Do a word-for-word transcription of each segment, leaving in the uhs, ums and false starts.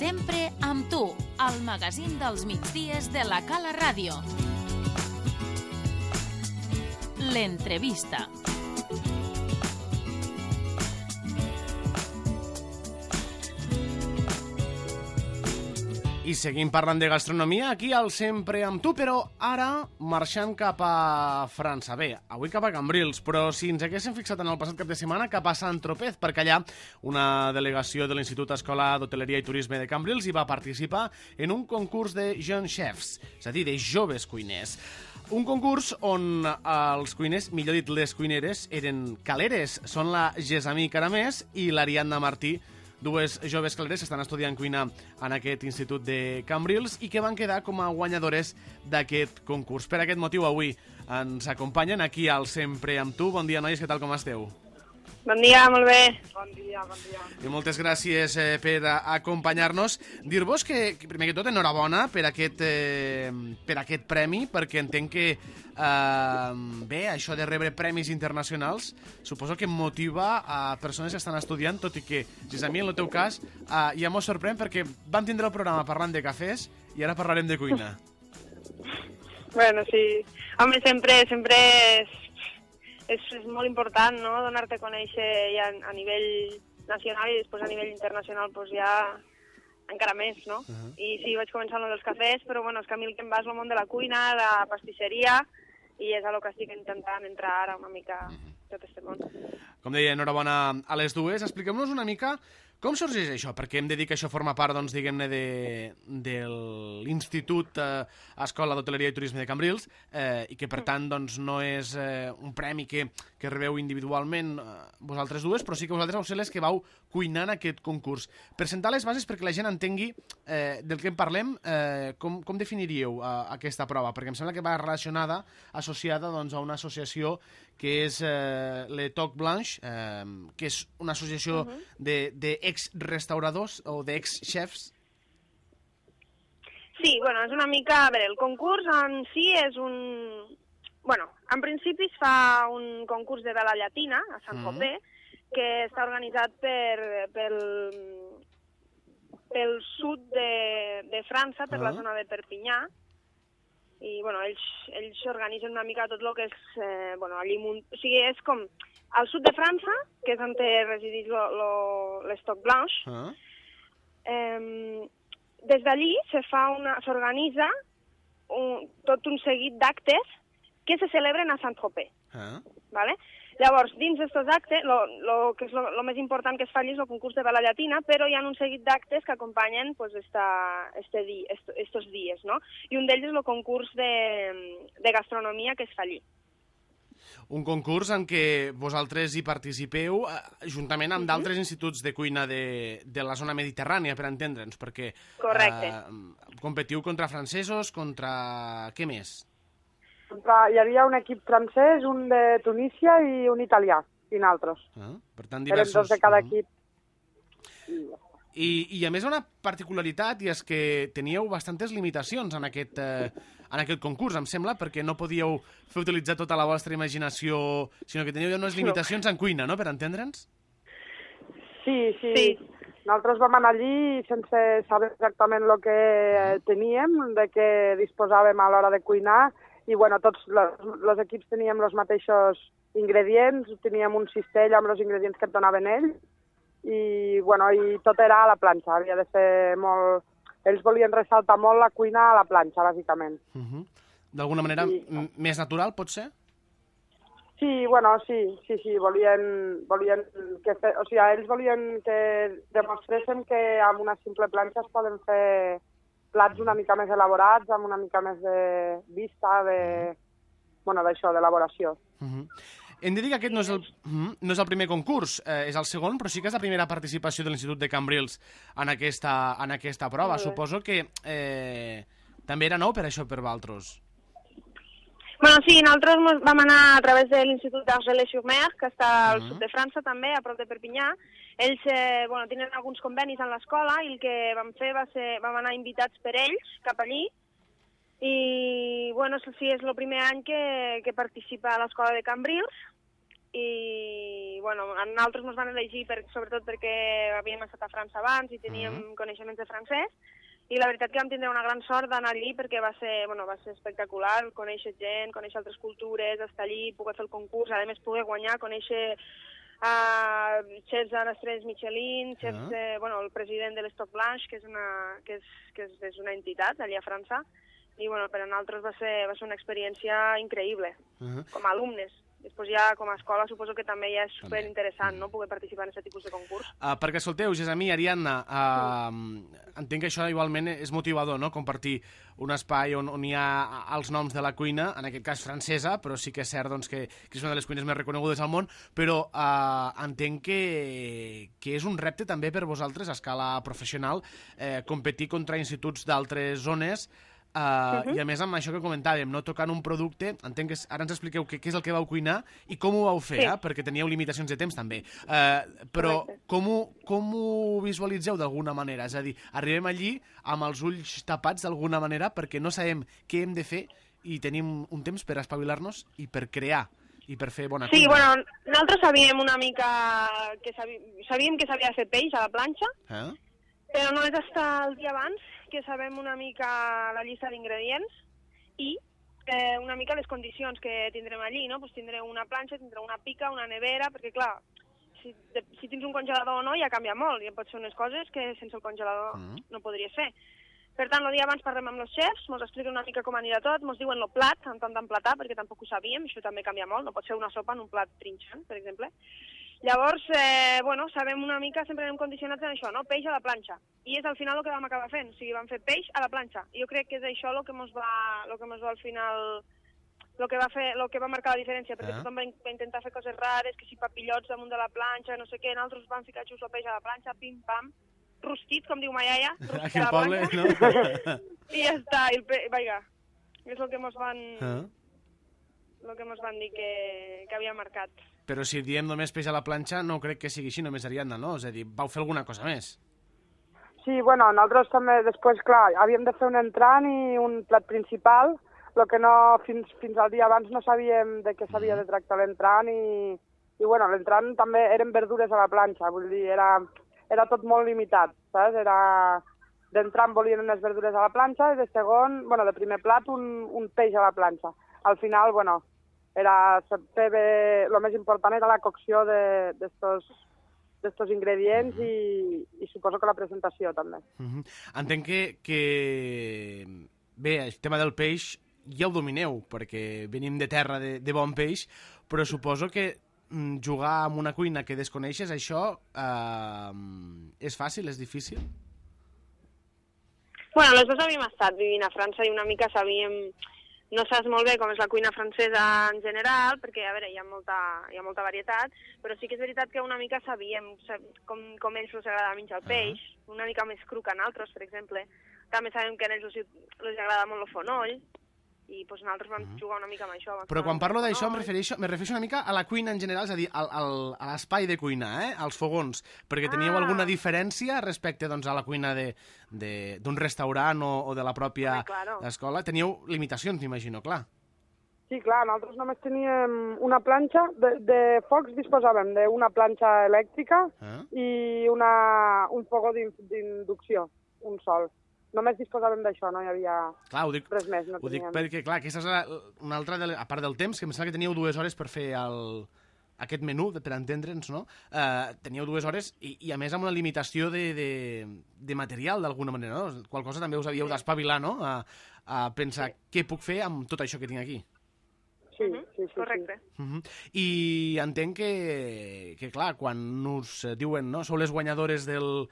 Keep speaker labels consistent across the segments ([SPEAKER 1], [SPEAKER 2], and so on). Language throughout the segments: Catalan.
[SPEAKER 1] Sempre amb tu, el magazín dels migdies de la Cala Ràdio. L'entrevista.
[SPEAKER 2] I seguim parlant de gastronomia aquí al Sempre amb tu, però ara marxant cap a França. Bé, avui cap a Cambrils, però si ens haguéssim fixat en el passat cap de setmana, cap a Sant-Tropez, perquè allà una delegació de l'Institut Escolar d'Hoteleria i Turisme de Cambrils hi va participar en un concurs de jeunes chefs, és a dir, de joves cuiners. Un concurs on els cuiners, millor dit les cuineres, eren caleres. Són la Gessamí Caramés i l'Ariadna Martí, dues joves caleres que estan estudiant cuina en aquest institut de Cambrils i que van quedar com a guanyadores d'aquest concurs. Per aquest motiu avui ens acompanyen aquí al Sempre amb tu. Bon dia, nois, què tal, com esteu?
[SPEAKER 3] Bon dia, molt bé.
[SPEAKER 4] Bon dia, bon dia.
[SPEAKER 2] I moltes gràcies eh, per acompanyar-nos. Dir-vos que, primer que tot, enhorabona per aquest, eh, per aquest premi, perquè entenc que eh, bé, això de rebre premis internacionals suposo que motiva a persones que estan estudiant, tot i que, si és a mi, en el teu cas, eh, ja m'ho sorprèn perquè vam tindre el programa parlant de cafès i ara parlarem de cuina.
[SPEAKER 3] Bueno, sí. Home, sempre, sempre és... És, és molt important, no?, donar-te a conèixer ja a nivell nacional i després a nivell internacional pues ja encara més, no? Uh -huh. I sí, vaig començar amb els cafès, però bueno, és que a mi el que em va és el món de la cuina, la pastisseria, i és a lo que estic intentant entrar ara una mica tot aquest món.
[SPEAKER 2] Com deia, enhorabona a les dues. Expliquem-nos una mica com sorgeix això, perquè hem de dir que això forma part, doncs, diguem-ne, de, de l'Institut eh, Escola d'Hoteleria i Turisme de Cambrils eh, i que, per tant, doncs, no és eh, un premi que, que rebeu individualment eh, vosaltres dues, però sí que vosaltres vau ser les que vau cuinar aquest concurs. Per sentar les bases perquè la gent entengui eh, del que en parlem, eh, com, com definiríeu eh, aquesta prova? Perquè em sembla que va relacionada, associada doncs, a una associació que és eh, Le Toc Blanche, eh, que és una associació uh -huh. de, de ex-restauradors o d'ex-chefs.
[SPEAKER 3] Sí, bueno, és una mica... A veure, el concurs en si és un... Bueno, en principi es fa un concurs de vela llatina a Sant-Tropez, uh -huh. que està organitzat per, pel, pel sud de, de França, per uh -huh. la zona de Perpinyà, i bueno, ells, ells organitzen una mica tot el que és, eh, bueno, allí, o sigui, és com al sud de França, que és on resideix l'Estoc Blanche, uh -huh. eh, des d'allí se fa una, s'organitza un, tot un seguit d'actes que se celebren a Sant-Tropez, uh -huh. ¿vale? Llavors, dins d'aquests actes, lo, lo que és lo, lo més important que es fa allí és el concurs de vela llatina, però hi ha un seguit d'actes que acompanyen pues, esta, este di, est, estos dies, no? I un d'ells és el concurs de, de gastronomia que es fa allí.
[SPEAKER 2] Un concurs en què vosaltres hi participeu eh, juntament amb uh -huh. d'altres instituts de cuina de, de la zona mediterrània, per entendre'ns, perquè eh, competiu contra francesos, contra... què més?
[SPEAKER 4] Hi havia un equip francès, un de Tunísia i un italià, i nosaltres.
[SPEAKER 2] Ah, per tant, diversos...
[SPEAKER 4] Eren dos de cada equip.
[SPEAKER 2] I, I a més una particularitat, i és que teníeu bastantes limitacions en aquest, eh, en aquest concurs, em sembla, perquè no podíeu fer utilitzar tota la vostra imaginació, sinó que teníeu unes limitacions en cuina, no?, per entendre'ns?
[SPEAKER 4] Sí, sí,
[SPEAKER 3] sí.
[SPEAKER 4] Nosaltres vam anar allí sense saber exactament el que teníem, de què disposàvem a l'hora de cuinar, i bueno, tots els equips teníem els mateixos ingredients, teníem un cistell amb els ingredients que et donaven ells, i bueno, i tot era a la planxa, havia de ser molt... Ells volien ressaltar molt la cuina a la planxa, bàsicament.
[SPEAKER 2] Uh -huh. D'alguna manera I... més natural, pot ser?
[SPEAKER 4] Sí, bueno, sí, sí, sí, volien, volien que fe... o sigui, ells volien que demostressin que amb una simple planxa es poden fer plats una mica més elaborats, amb una mica més de vista, de... bueno, d'això, d'elaboració.
[SPEAKER 2] Uh -huh. Hem de dir que aquest no és el, no és el primer concurs, eh, és el segon, però sí que és la primera participació de l'Institut de Cambrils en aquesta, en aquesta prova. Suposo que eh, també era nou per això per vosaltres.
[SPEAKER 3] Bueno, sí, nosaltres vam anar a través de l'Institut d'Argelès-sur-Mer, que està al uh -huh. sud de França també, a prop de Perpinyà. Ells eh, bueno, tenen alguns convenis en l'escola i el que vam fer va ser, vam anar invitats per ells cap allí. I, bueno, sí, és el primer any que, que participa a l'escola de Cambrils. i bueno, a nosaltres ens van elegir per, sobretot perquè havíem estat a França abans i teníem mm. coneixements de francès, i la veritat que vam tindre una gran sort d'anar allí perquè va ser, bueno, va ser espectacular, conèixer gent, conèixer altres cultures, estar allí, poder fer el concurs, a més poder guanyar, conèixer uh, xefs en estrelles Michelin, xefs, uh-huh. eh, bueno, el president de l'Stock Blanche, que és una, que és, que és, és una entitat allà a França, i bueno, per a nosaltres va ser, va ser una experiència increïble, uh-huh. com a alumnes. Després ja, com a escola, suposo que també ja és superinteressant, no?, poder participar en aquest tipus de concurs.
[SPEAKER 2] Uh, perquè, escolteu, Gessamí, Ariadna, uh, mm. entenc que això igualment és motivador, no?, compartir un espai on, on hi ha els noms de la cuina, en aquest cas francesa, però sí que és cert doncs, que, que és una de les cuines més reconegudes al món, però uh, entenc que, que és un repte també per vosaltres, a escala professional, eh, competir contra instituts d'altres zones. Uh, uh-huh. I a més amb això que comentàvem, no tocant un producte, entenc que ara ens expliqueu què, què és el que vau cuinar i com ho vau fer, sí. eh? Perquè teníeu limitacions de temps també, uh, però com ho, com ho visualitzeu d'alguna manera? És a dir, arribem allí amb els ulls tapats d'alguna manera perquè no sabem què hem de fer i tenim un temps per espavilar-nos i per crear i per fer bona cuina.
[SPEAKER 3] Sí, bueno, nosaltres sabíem una mica que sabíem, sabíem que s'havia de fer peix a la planxa, eh? Però no és hasta el dia abans que sabem una mica la llista d'ingredients i eh, una mica les condicions que tindrem allí, no? Pues tindrem una planxa, tindrem una pica, una nevera, perquè clar, si, de, si tens un congelador o no ja canvia molt, ja pot ser unes coses que sense el congelador mm. no podries fer. Per tant, el dia abans parlem amb els xefs, ens expliquen una mica com anirà tot, ens diuen el plat, en tant d'emplatar, perquè tampoc ho sabíem, això també canvia molt, no pot ser una sopa en un plat trinxant, per exemple. Llavors, eh, bueno, sabem una mica, sempre anem condicionats en això, no? Peix a la planxa. I és al final el que vam acabar fent, o sigui, vam fer peix a la planxa. I jo crec que és això el que ens va, el que ens va al final, el que va fer, el que va marcar la diferència, perquè ah. tothom va, va intentar fer coses rares, que si papillots damunt de la planxa, no sé què, nosaltres vam ficar just el peix a la planxa, pim-pam, rostit, com diu ma iaia, rostit a la
[SPEAKER 2] poble,
[SPEAKER 3] planxa. No? I ja està, i el pe... Vaja, és el que ens van... Ah. el que ens van dir que, que havia marcat.
[SPEAKER 2] Però si diem només peix a la planxa, no crec que sigui així, només Ariadna, no? És a dir, vau fer alguna cosa més?
[SPEAKER 4] Sí, bueno, nosaltres també, després, clar, havíem de fer un entrant i un plat principal, el que no, fins, fins al dia abans no sabíem de què s'havia de tractar l'entrant i, i bueno, l'entrant també eren verdures a la planxa, vull dir, era, era tot molt limitat, saps? Era... D'entrant volien unes verdures a la planxa i de segon, bueno, de primer plat, un, un peix a la planxa. Al final, bueno, era, el més important era la cocció d'estos d'estos ingredients uh-huh. i, i suposo que la presentació també.
[SPEAKER 2] Uh-huh. Entenc que, que bé, el tema del peix ja ho domineu, perquè venim de terra de, de bon peix, però suposo que jugar amb una cuina que desconeixes, això eh, és fàcil, és difícil?
[SPEAKER 3] Bueno, les dues havíem estat vivint a França i una mica sabíem... No saps molt bé com és la cuina francesa en general, perquè, a veure, hi ha molta, hi ha molta varietat, però sí que és veritat que una mica sabíem com, com ells els agrada menjar el peix, uh-huh. una mica més cru que a nosaltres, per exemple. També sabem que a ells els, els agrada molt el fonoll, i doncs nosaltres vam uh-huh. jugar una mica amb això.
[SPEAKER 2] Però quan parlo d'això em refereixo, me refereixo una mica a la cuina en general, és a dir, al, al, a l'espai de cuinar, eh? Als fogons, perquè teníeu ah. alguna diferència respecte doncs, a la cuina d'un restaurant o, o de la pròpia
[SPEAKER 3] sí, claro.
[SPEAKER 2] escola? Teníeu limitacions, m'imagino, clar.
[SPEAKER 4] Sí, clar, nosaltres només teníem una planxa, de, de focs disposàvem d'una planxa elèctrica ah. i una, un fogó d'inducció, un sol. Només disposàvem d'això, no hi havia
[SPEAKER 2] clar, dic,
[SPEAKER 4] res més. No
[SPEAKER 2] ho dic perquè, clar, aquesta és la, una altra, de, a part del temps, que em sembla que teníeu dues hores per fer el, aquest menú, per entendre'ns, no? Uh, teníeu dues hores i, i, a més, amb una limitació de, de, de material, d'alguna manera, no? Qual cosa també us havíeu sí. d'espavilar, no? A, a pensar sí. què puc fer amb tot això que tinc aquí.
[SPEAKER 4] Sí, sí, sí.
[SPEAKER 3] Correcte.
[SPEAKER 2] Sí. Uh -huh. I entenc que, que, clar, quan us diuen, no? Sou les guanyadores del...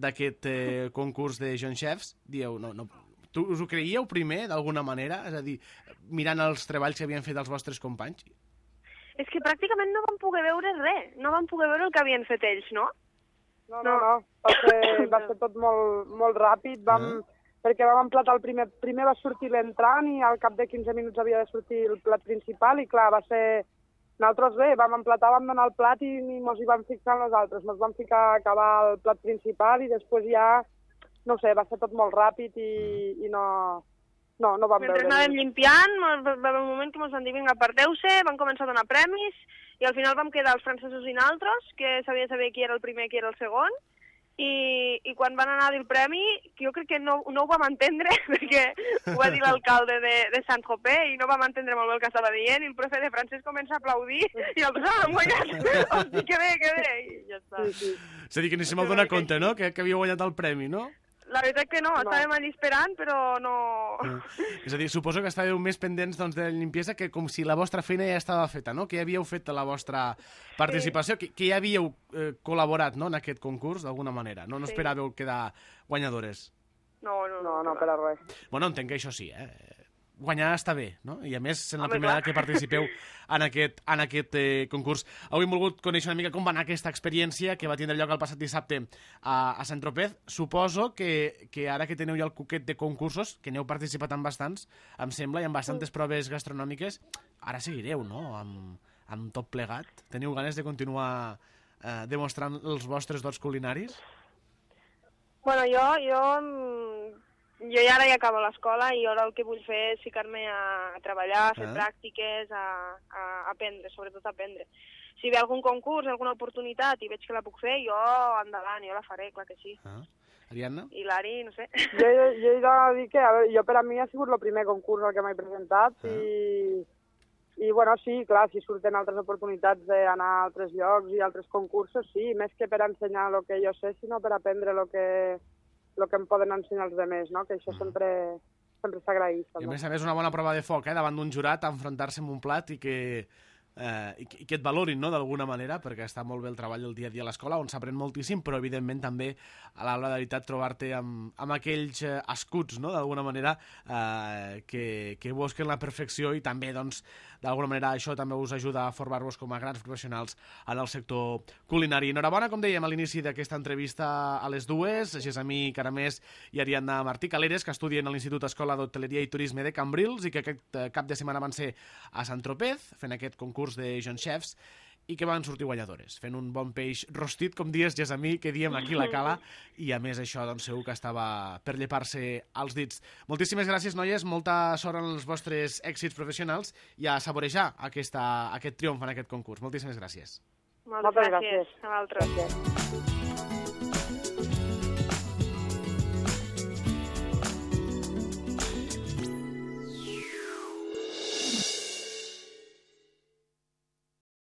[SPEAKER 2] d'aquest eh, concurs de John Chefs, dieu, no, no, tu us ho creieu primer, d'alguna manera? És a dir, mirant els treballs que havien fet els vostres companys?
[SPEAKER 3] És que pràcticament no vam poder veure res, no vam poder veure el que havien fet ells, no?
[SPEAKER 4] No, no, no, va ser, va ser tot molt, molt ràpid, vam, uh -huh. perquè vam emplatar el primer, primer va sortir l'entrant i al cap de quinze minuts havia de sortir el plat principal i clar, va ser... Nosaltres bé, vam emplatar, vam donar el plat i mos hi vam fixar nosaltres. Mos vam ficar a acabar el plat principal i després ja, no sé, va ser tot molt ràpid i, i no, No, no vam
[SPEAKER 3] Mentre
[SPEAKER 4] veure.
[SPEAKER 3] anàvem limpiant, va haver un moment que ens van dir, vinga, aparteu-se, van començar a donar premis, i al final vam quedar els francesos i naltros, que sabia saber qui era el primer i qui era el segon, i, i quan van anar a dir el premi, jo crec que no, no ho vam entendre, perquè ho va dir l'alcalde de, de Saint-Tropez, i no vam entendre molt bé el que estava dient, i el profe de francès comença a aplaudir, i nosaltres, ah, hem guanyat, hosti, que bé, que bé, i ja està.
[SPEAKER 4] Sí, sí.
[SPEAKER 2] És a dir, que ni se m'ha donat compte, no?, que, que havia guanyat el premi, no?
[SPEAKER 3] La veritat que no,
[SPEAKER 4] No.
[SPEAKER 3] estàvem allà esperant, però no...
[SPEAKER 2] És a dir, suposo que estàveu més pendents doncs, de la limpiesa que com si la vostra feina ja estava feta, no? Que ja havíeu fet la vostra participació, sí. que, que ja havíeu eh, col·laborat, no?, en aquest concurs, d'alguna manera. No, no
[SPEAKER 3] Sí.
[SPEAKER 2] esperàveu quedar guanyadores.
[SPEAKER 3] No, no,
[SPEAKER 4] No, no, per a res.
[SPEAKER 2] Bueno, entenc que això sí, eh? Guanyar està bé, no? I a més, sent la
[SPEAKER 3] Home,
[SPEAKER 2] primera
[SPEAKER 3] clar.
[SPEAKER 2] que participeu en aquest, en aquest eh, concurs. Avui hem volgut conèixer una mica com va anar aquesta experiència que va tindre lloc el passat dissabte a, a Saint-Tropez. Suposo que, que ara que teniu ja el cuquet de concursos, que n'heu participat en bastants, em sembla, i en bastantes proves gastronòmiques, ara seguireu, no?, amb, amb tot plegat. Teniu ganes de continuar eh, demostrant els vostres dots culinaris?
[SPEAKER 3] Bueno, jo, jo, mm, jo ja ara ja acabo l'escola i ara el que vull fer és ficar-me a, a treballar, a fer
[SPEAKER 2] Ah.
[SPEAKER 3] pràctiques, a, a aprendre, sobretot a aprendre. Si ve algun concurs, alguna oportunitat i veig que la puc fer, jo endavant, jo la faré, clar que sí.
[SPEAKER 2] Ah. Ariadna?
[SPEAKER 3] I l'Ari, no sé.
[SPEAKER 4] Jo, jo, jo he de dir que, a veure, jo per a mi ha sigut el primer concurs al que m'he presentat
[SPEAKER 2] Ah.
[SPEAKER 4] i, i, bueno, sí, clar, si surten altres oportunitats d'anar a altres llocs i altres concursos, sí, més que per ensenyar el que jo sé, sinó per aprendre el que, el que em poden ensenyar els altres, no? Que això sempre, sempre s'agraeix.
[SPEAKER 2] I a
[SPEAKER 4] també.
[SPEAKER 2] més a més una bona prova de foc, eh? Davant d'un jurat, enfrontar-se amb un plat i que, eh, i, que- i que et valorin, no?, d'alguna manera, perquè està molt bé el treball del dia a dia a l'escola, on s'aprèn moltíssim, però evidentment també a l'hora de veritat trobar-te amb, amb aquells eh, escuts, no?, d'alguna manera, eh, que, que busquen la perfecció i també, doncs, d'alguna manera això també us ajuda a formar-vos com a grans professionals en el sector culinari. Enhorabona, com dèiem a l'inici d'aquesta entrevista a les dues, Gessamí Caramés i Ariadna Martí Caleres, que estudien a l'Institut Escola d'Hoteleria i Turisme de Cambrils i que aquest eh, cap de setmana van ser a Saint-Tropez, fent aquest concurs de John Chefs, i que van sortir guanyadores, fent un bon peix rostit, com dies, Gessamí, que diem aquí a la cala, i a més això, doncs, segur que estava per llepar-se els dits. Moltíssimes gràcies, noies, molta sort en els vostres èxits professionals i a saborejar aquesta, aquest triomf en aquest concurs. Moltíssimes gràcies.
[SPEAKER 3] Moltes
[SPEAKER 4] Moltes
[SPEAKER 3] gràcies.
[SPEAKER 4] gràcies.
[SPEAKER 3] A vosaltres.
[SPEAKER 4] Gràcies.